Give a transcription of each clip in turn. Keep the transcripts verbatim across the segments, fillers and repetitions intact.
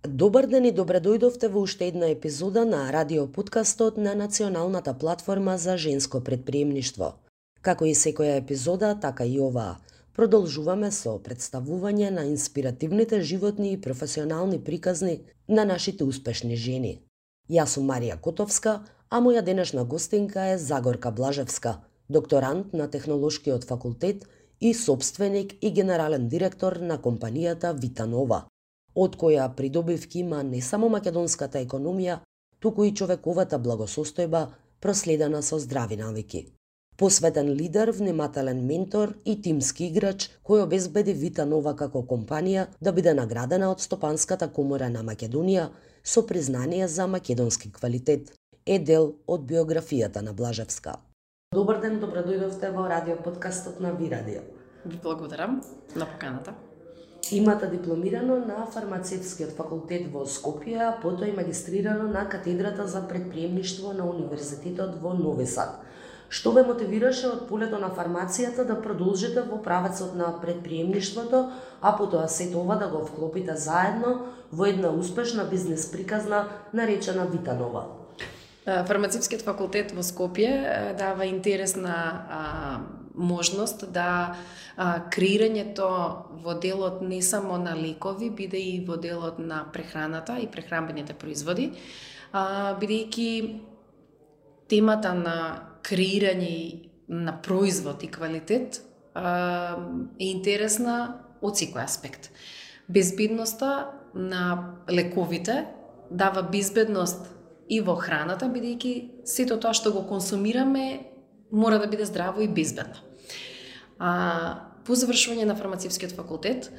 Добар ден и добре дојдовте во уште една епизода на радиоподкастот на Националната платформа за женско предприемништво. Како и секоја епизода, така и оваа. Продолжуваме со представување на инспиративните животни и професионални приказни на нашите успешни жени. Јас сум Марија Котовска, а моја денешна гостинка е Загорка Блажевска, докторант на Технолошкиот факултет и собственик и генерален директор на компанијата Витанова, од која придобивки има не само македонската економија, туку и човековата благосостојба проследена со здрави навики. Посветен лидер, внимателен ментор и тимски играч кој обезбеди Витанова како компанија да биде наградена од Стопанската комора на Македонија со признание за македонски квалитет, е дел од биографијата на Блажевска. Добар ден, добро дојдовте во радиоподкастот на Ви Радио. Ви благодарам на поканата. Имате дипломирано на Фармацевскиот факултет во Скопје, а потоа и магистрирано на катедрата за предприемништво на Универзитетот во Нови Сад. Што ве мотивираше од полето на фармацијата да продолжите во правецот на предприемништвото, а потоа сето ова да го вклопите заедно во една успешна бизнес приказна наречена Витанова? Фармацевскиот факултет во Скопје дава интересна а, можност да а, креирањето во делот не само на лекови, биде и во делот на прехраната и прехранбените производи, а, бидејќи темата на креирање на производ и квалитет а, е интересна од секој аспект. Безбедноста на лековите дава безбедност и во храната, бидејќи сето тоа што го консумираме мора да биде здраво и безбедно. А, по завршување на Фармацевскиот факултет,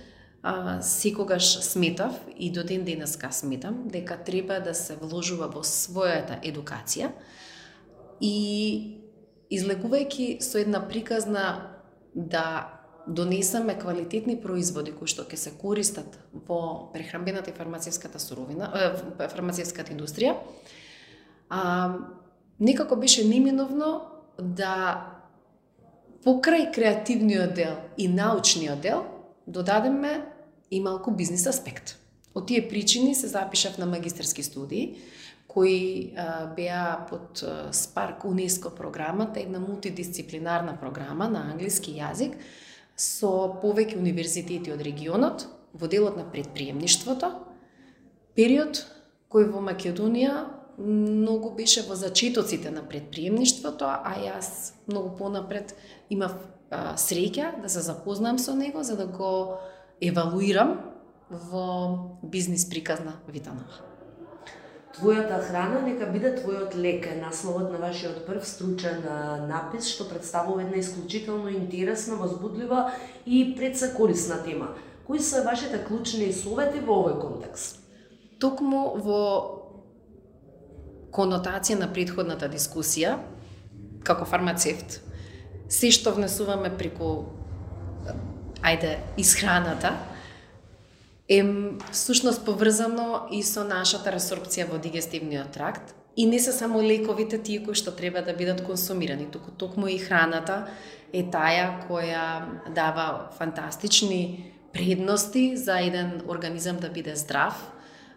а, секогаш сметав и до ден денеска сметам дека треба да се вложува во својата едукација и излегувајќи со една приказна да донесеме квалитетни производи кои што ќе се користат во прехранбената и фармацевската суровина, е, фармацевската индустрија, а, некако беше неминовно да покрај креативниот дел и научниот дел додадеме и малку бизнес аспект. Од тие причини се запишав на магистерски студии, кои а, беа под а, Спарк УНЕСКО програмата, една мултидисциплинарна програма на англиски јазик со повеќе универзитети од регионот во делот на предприемништвото, период кој во Македонија многу беше во зачетоците на предприемништвото, а јас многу понапред имав а, среќа да се запознам со него за да го евалуирам во бизнес приказна Витанова. Твојата храна нека биде твојот лек е насловот на вашиот прв стручен напис, што представува една исклучително интересна, возбудлива и пред се корисна тема. Кои се вашите клучни совети во овој контекст? Токму во конотација на претходната дискусија, како фармацевт, се што внесуваме преку, ајде, исхраната, е всушност поврзано и со нашата ресорбција во дигестивниот тракт и не се само лековите тие кои што треба да бидат консумирани, туку токму и храната е таа која дава фантастични предности за еден организам да биде здрав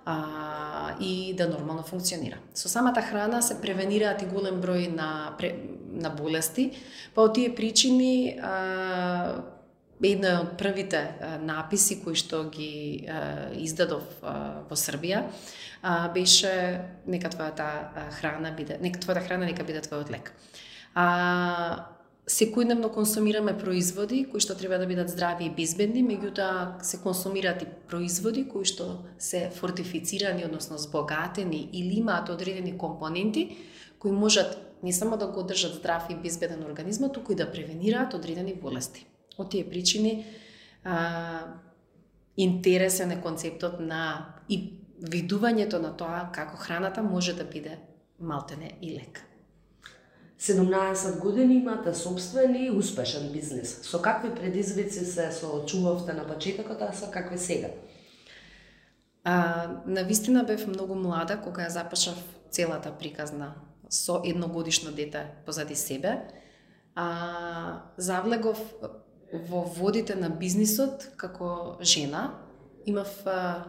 а, и да нормално функционира. Со самата храна се превенираат и голем број на, на болести, па од тие причини а, една од првите а, написи кои што ги а, издадов а, во Србија а, беше нека твојата храна биде, нека твојата храна нека биде твојот лек. А, секојдневно консумираме производи кои што треба да бидат здрави и безбедни, меѓутоа се консумираат и производи кои што се фортифицирани, односно збогатени или имаат одредени компоненти кои можат не само да го одржат здрав и безбеден организмот, туку и да превенираат одредени болести. Од тие причини а, интересен е концептот на и видувањето на тоа како храната може да биде малтене и лек. седумнаесет години имате собствен и успешен бизнес. Со какви предизвици се соочувавте на почетокот, а со какви сега? А, навистина бев многу млада кога ја започнав целата приказна со едногодишно дете позади себе. А, завлегов во водите на бизнисот како жена. Имав а,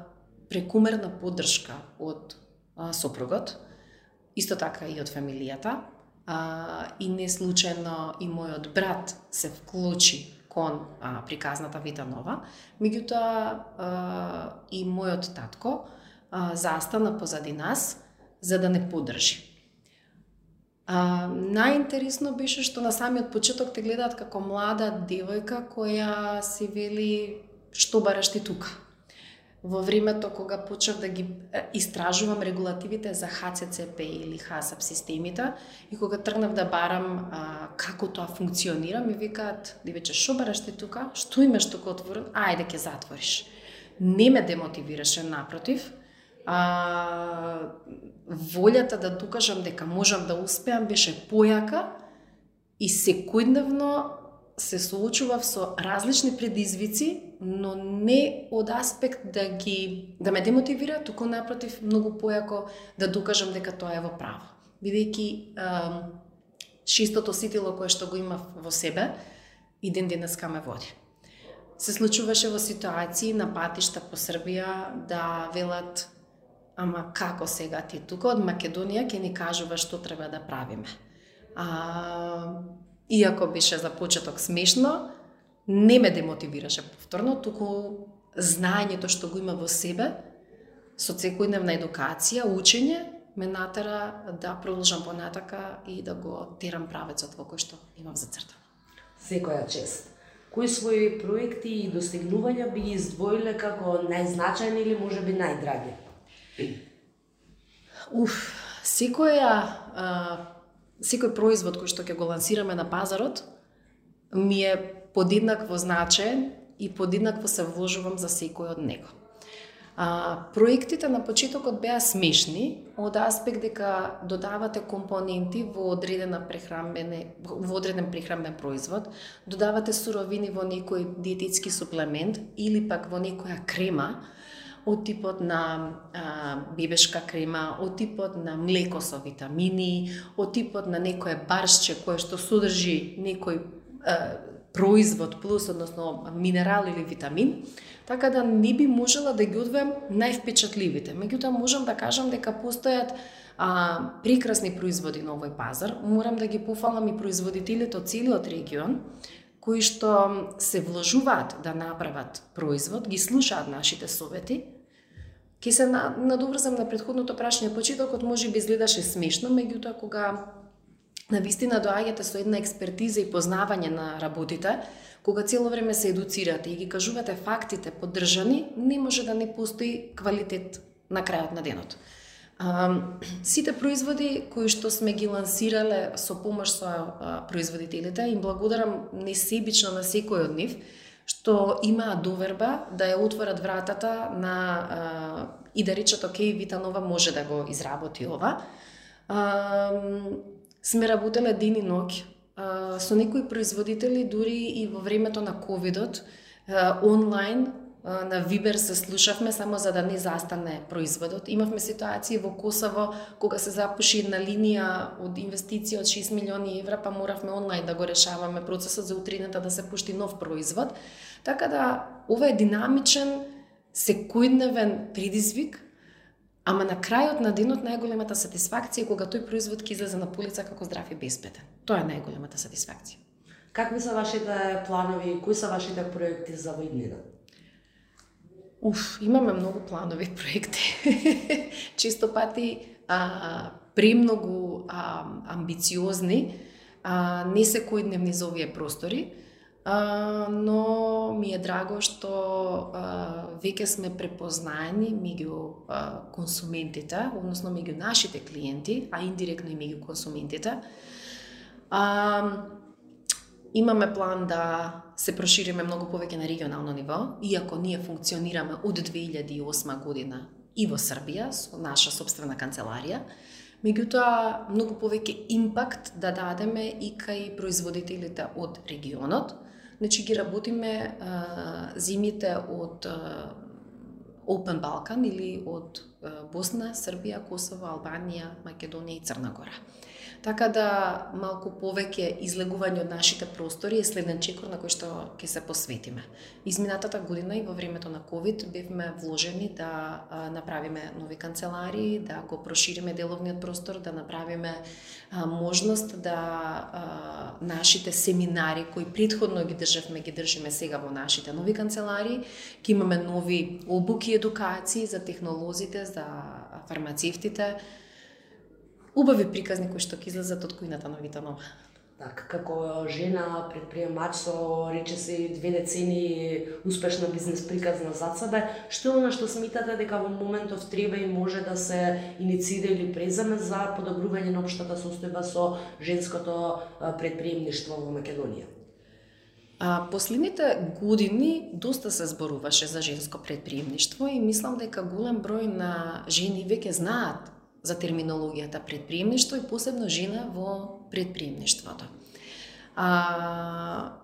прекумерна поддршка од а, сопругот, исто така и од фамилијата, а, и не случајно и мојот брат се вклучи кон а, приказната Вита Нова, меѓутоа а, и мојот татко а, застана позади нас за да не поддржи. А, најинтересно беше што на самиот почеток те гледаат како млада девојка која си вели што бараш ти тука. Во времето кога почнав да ги истражувам регулативите за Х Ц Ц П или ХАСАП системите и кога тргнав да барам а, како тоа функционира, ми викаат: "Девече, што бараш ти тука? Што имаш тука отворен? Ајде ќе затвориш." Не ме демотивираше, напротив. А, волјата да докажам дека можам да успеам беше појака и секојдневно се соочував со различни предизвици, но не од аспект да ги да ме демотивира, туку напротив многу појако да докажам дека тоа е во право. Бидејќи шестото ситило кое што го имав во себе и ден денеска ме води. Се случуваше во ситуации на патишта по Србија да велат: "Ама како сега ти тука од Македонија ќе ни кажува што треба да правиме?" А, иако беше за почеток смешно, не ме демотивираше повторно, туку знаењето што го има во себе, со секојдневна едукација, учење, ме натера да продолжам понатака и да го терам правецот во кој што имам зацртано. Секоја чест. Кои своји проекти и достигнувања би ги издвоиле како најзначајни или можеби најдраги? Уф, секоја, а, секој производ кој што ќе го лансираме на пазарот ми е подеднакво значаен и подеднакво се вложувам за секој од него. А, проектите на почетокот беа смешни од аспект дека додавате компоненти во одредена прехранбене во одреден прехранбен производ, додавате суровини во некој диететски суплемент или пак во некоја крема од типот на а, бебешка крема, од типот на млеко со витамини, од типот на некое баршче кое што содржи некој а, производ плюс, односно минерал или витамин, така да не би можела да ги одвоам највпечатливите. Меѓутоа можам да кажам дека постојат а, прекрасни производи на овој пазар. Морам да ги пофалам и производителите од целиот регион, кои што се вложуваат да направат производ, ги слушаат нашите совети. Ке се надоврзам на претходното прашање, почетокот може би изгледаше смешно, меѓутоа кога навистина доаѓате со една експертиза и познавање на работите, кога цело време се едуцирате и ги кажувате фактите поддржани, не може да не постои квалитет на крајот на денот. А, сите производи кои што сме ги лансирале со помош со а, производителите, им благодарам несебично на секој од нив, што имаа доверба да ја отворат вратата на а, и да речат: "Океј, Вита Нова може да го изработи ова." А, сме работеле ден и ноќ а, со некои производители, дури и во времето на ковидот, а, онлайн на Вибер се слушавме само за да не застане производот. Имавме ситуации во Косово кога се запуши една линија од инвестиција од шест милиони евра, па моравме онлайн да го решаваме процесот за утрината да се пушти нов производ. Така да ова е динамичен, секојдневен предизвик, ама на крајот на денот најголемата сатисфакција е кога тој производ ќе излезе на полица како здрав и безбеден. Тоа е најголемата сатисфакција. Какви се вашите планови, кои се вашите проекти за во иднина? Уф, имаме многу планови проекти. Често пати а, премногу а, амбициозни, а, не секојдневни за овие простори, а, но ми е драго што а, веќе сме препознаени меѓу а, консументите, односно меѓу нашите клиенти, а индиректно и меѓу консументите. А, Имаме план да се прошириме многу повеќе на регионално ниво, иако ние функционираме од две илјади и осма година и во Србија со наша сопствена канцеларија. Меѓутоа, многу повеќе импакт да дадеме и кај производителите од регионот. Значи ги работиме а, зимите од а, Open Balkan или од а, Босна, Србија, Косово, Албанија, Македонија и Црна Гора. така да малку повеќе излегување од нашите простори е следен чекор на кој што ќе се посветиме. Изминатата година и во времето на ковид бевме вложени да а, направиме нови канцеларии, да го прошириме деловниот простор, да направиме а, можност да а, нашите семинари кои претходно ги државме, ги држиме сега во нашите нови канцеларии, ќе имаме нови обуки и едукации за технолозите, за фармацевтите, убави приказни кои што ќе излезат од кујната на Витанова. Так, како жена предприемач со речиси две децени успешна бизнес приказна зад себе, што е она што смитате дека во моментов треба и може да се иницира или преземе за подобрување на општата состојба со женското предприемништво во Македонија? А, последните години доста се зборуваше за женско предприемништво и мислам дека голем број на жени веќе знаат за терминологијата предприемништво и посебно жена во предприемништвото. А,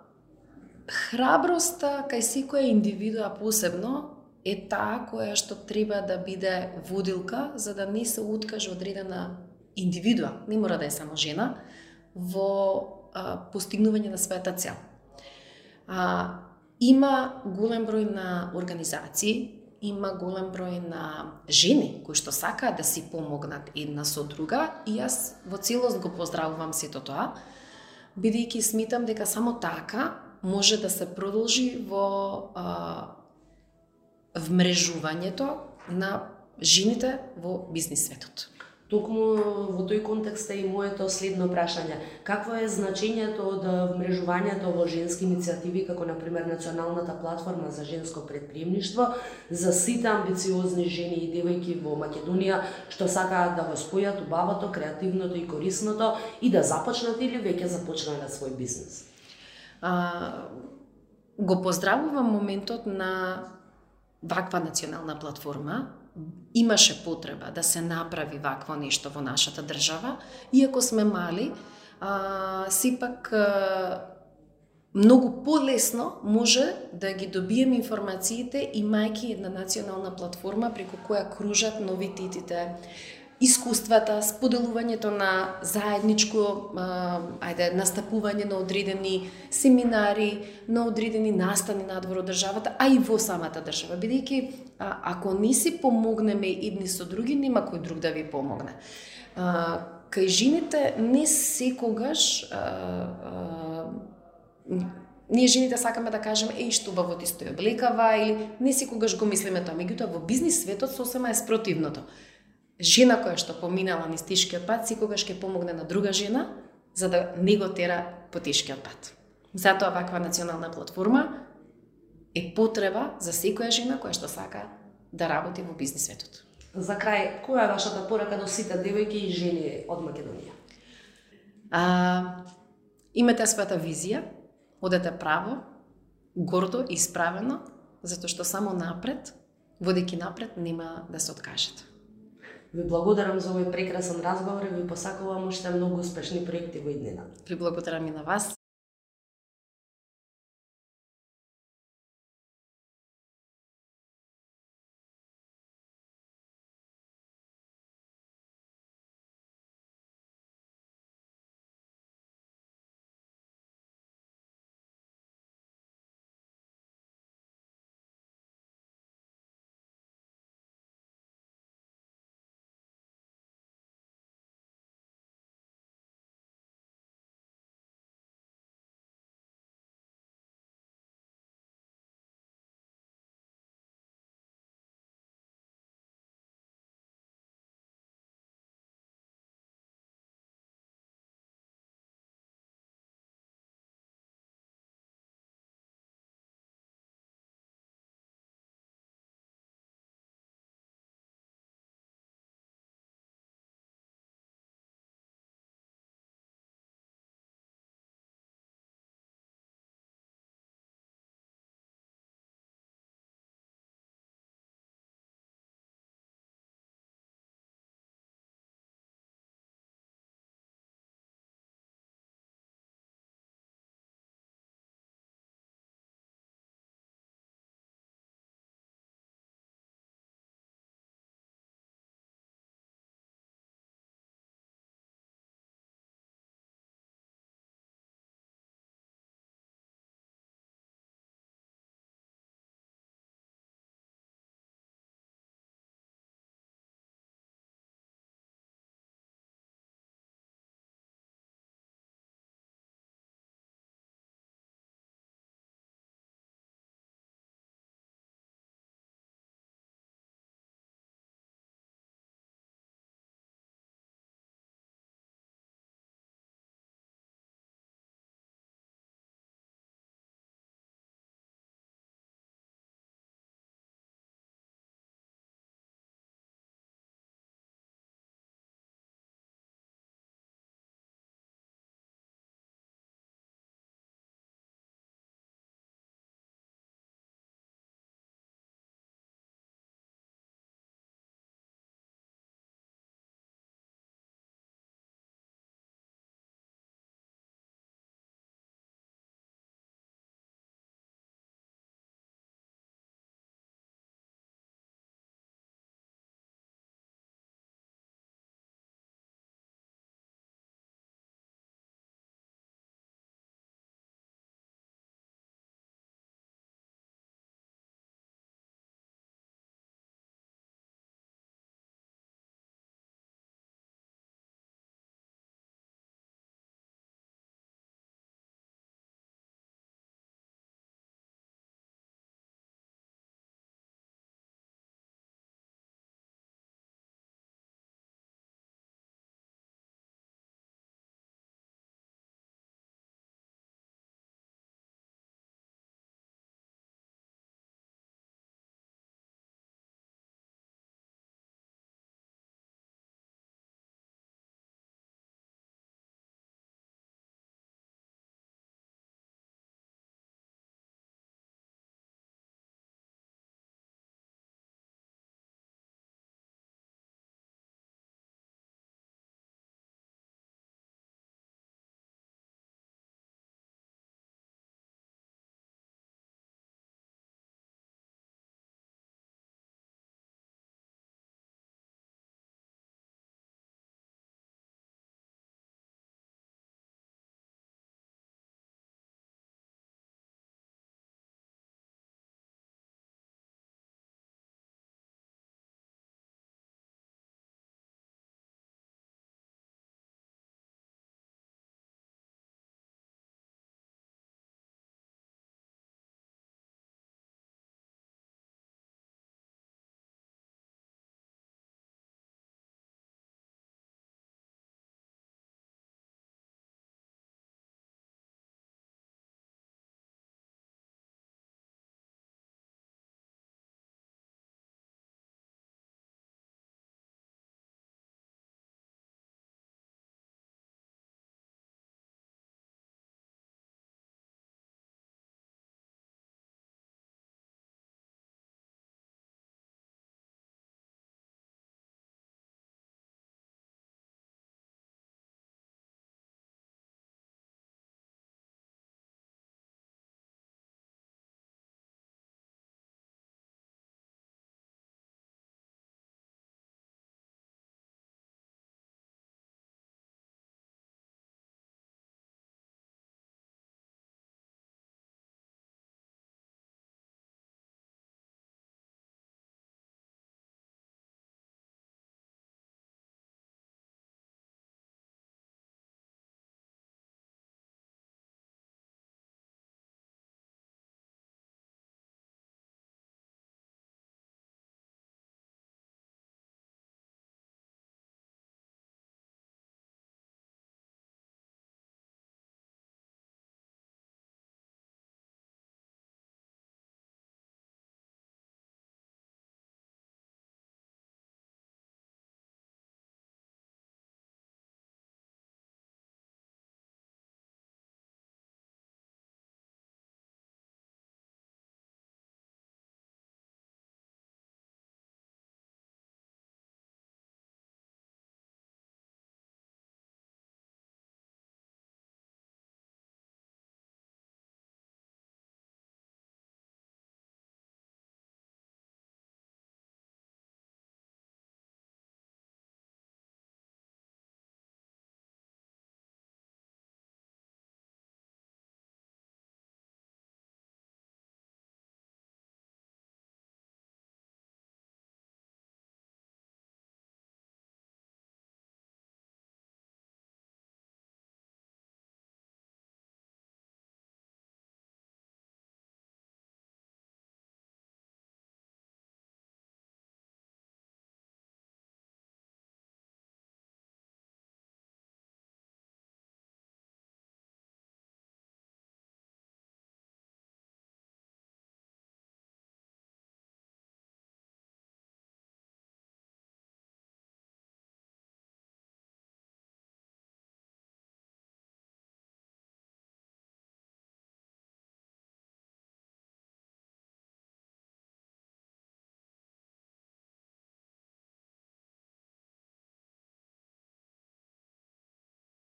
храброста кај секоја индивидуа посебно е таа која што треба да биде водилка за да не се откаже одредена индивидуа, не мора да е само жена, во а, постигнување на својата цел. А, има голем број на организации, има голем број на жени кои што сакаат да си помогнат една со друга и јас во целост го поздравувам сето тоа, бидејќи смитам дека само така може да се продолжи во а, вмрежувањето на жените во бизнис светот. Токму во тој контекст е и моето следно прашање. Какво е значењето од вмрежувањето во женски иницијативи, како например Националната платформа за женско предприемништво, за сите амбициозни жени и девојки во Македонија што сакаат да го спојат убавото, креативното и корисното и да започнат или веќе започнале свој бизнес? А, го поздравувам моментот на ваква национална платформа. Имаше потреба да се направи вакво нешто во нашата држава, иако сме мали, а, сепак а, многу полесно може да ги добиеме информациите имајќи една национална платформа преку која кружат новитетите, искуствата, споделувањето на заедничко, а, ајде, настапување на одредени семинари, на одредени настани надвор од државата, а и во самата држава, бидејќи а, ако не си помогнеме едни со други, нема кој друг да ви помогне. А, кај жените не секогаш а, а, ние жените сакаме да кажеме еј што убаво ти стои облекава или не секогаш го мислиме тоа, меѓутоа во бизнис светот сосема е спротивното. Жена која што поминала низ тешкиот пат, секогаш ќе помогне на друга жена, за да не го тера по тешкиот пат. Затоа ваква национална платформа е потреба за секоја жена која што сака да работи во бизнис светот. За крај, која е вашата порака до сите девојки и жени од Македонија? А, имате својата визија, одете право, гордо и исправено, затоа што само напред, водејќи напред, нема да се откажете. Ви благодарам за овој прекрасен разговор и ви посакувам уште многу успешни проекти во иднина. Ви благодарам и на вас.